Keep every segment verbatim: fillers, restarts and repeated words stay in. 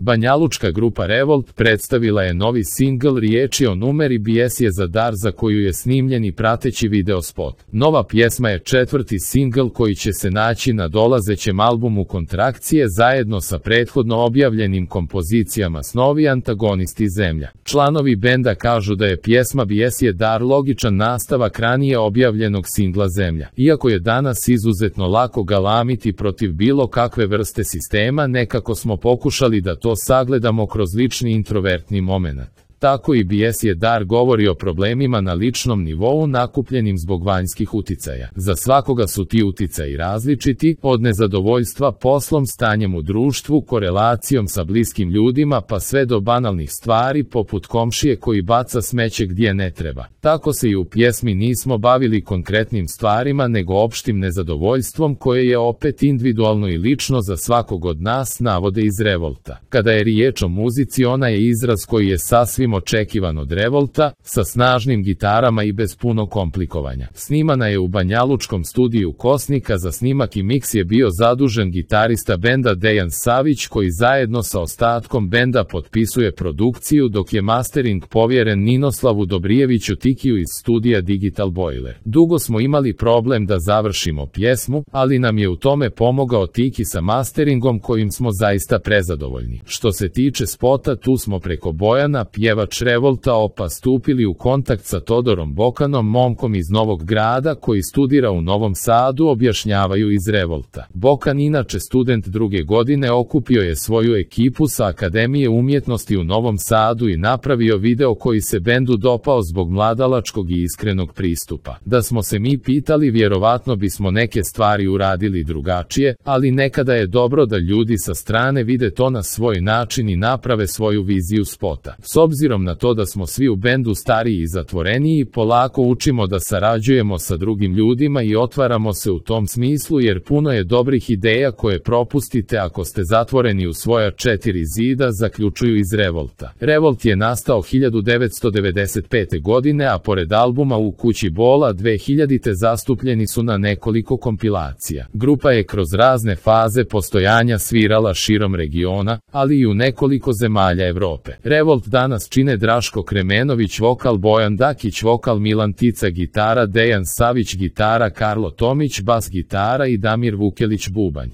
Banjalučka grupa Revolt predstavila je novi singl Riječi o numeri Bijes je za dar za koju je snimljen i prateći video spot. Nova pjesma je četvrti singl koji će se naći na dolazećem albumu Kontrakcije zajedno sa prethodno objavljenim kompozicijama Snovi antagonisti Zemlja. Članovi benda kažu da je pjesma Bijes je dar logičan nastavak ranije objavljenog singla Zemlja. Iako je danas izuzetno lako galamiti protiv bilo kakve vrste sistema, nekako smo pokušali da to sagledamo kroz lični introvertni momenat. Tako i Bijes je dar govori o problemima na ličnom nivou nakupljenim zbog vanjskih uticaja. Za svakoga su ti uticaji različiti, od nezadovoljstva poslom, stanjem u društvu, korelacijom sa bliskim ljudima pa sve do banalnih stvari poput komšije koji baca smeće gdje ne treba. Tako se i u pjesmi nismo bavili konkretnim stvarima nego opštim nezadovoljstvom koje je opet individualno i lično za svakog od nas, navode iz Revolta. Kada je riječ o muzici, ona je izraz koji je sasvim očekivan od Revolta, sa snažnim gitarama i bez puno komplikovanja. Snimana je u banjalučkom studiju Kosnika, za snimak i miks je bio zadužen gitarista benda Dejan Savić koji zajedno sa ostatkom benda potpisuje produkciju, dok je mastering povjeren Ninoslavu Dobrijeviću Tikiju iz studija Digital Boiler. Dugo smo imali problem da završimo pjesmu, ali nam je u tome pomogao Tiki sa masteringom kojim smo zaista prezadovoljni. Što se tiče spota, tu smo preko Bojana, pjevač Revolta Opa, stupili u kontakt sa Todorom Bokanom, momkom iz Novog Grada koji studira u Novom Sadu, objašnjavaju iz Revolta. Bokan, inače student druge godine, okupio je svoju ekipu sa Akademije umjetnosti u Novom Sadu i napravio video koji se bendu dopao zbog mladalačkog i iskrenog pristupa. Da smo se mi pitali, vjerovatno bismo neke stvari uradili drugačije, ali nekada je dobro da ljudi sa strane vide to na svoj način i naprave svoju viziju spota. S obzirom na to da smo svi u bendu stariji i zatvoreniji, polako učimo da sarađujemo sa drugim ljudima i otvaramo se u tom smislu, jer puno je dobrih ideja koje propustite ako ste zatvoreni u svoja četiri zida, zaključuju iz Revolta. Revolt je nastao hiljadu devetsto devedeset pete. godine, a pored albuma U kući bola dve hiljadite zastupljeni su na nekoliko kompilacija. Grupa je kroz razne faze postojanja svirala širom regiona, ali i u nekoliko zemalja Evrope. Revolt danas čine Draško Kremenović vokal, Bojan Dakić vokal, Milan Tica gitara, Dejan Savić gitara, Karlo Tomić bas gitara i Damir Vukelić bubanj.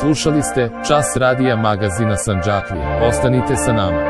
Slušali ste Čas radija magazina Sandžaklija. Ostanite sa nama.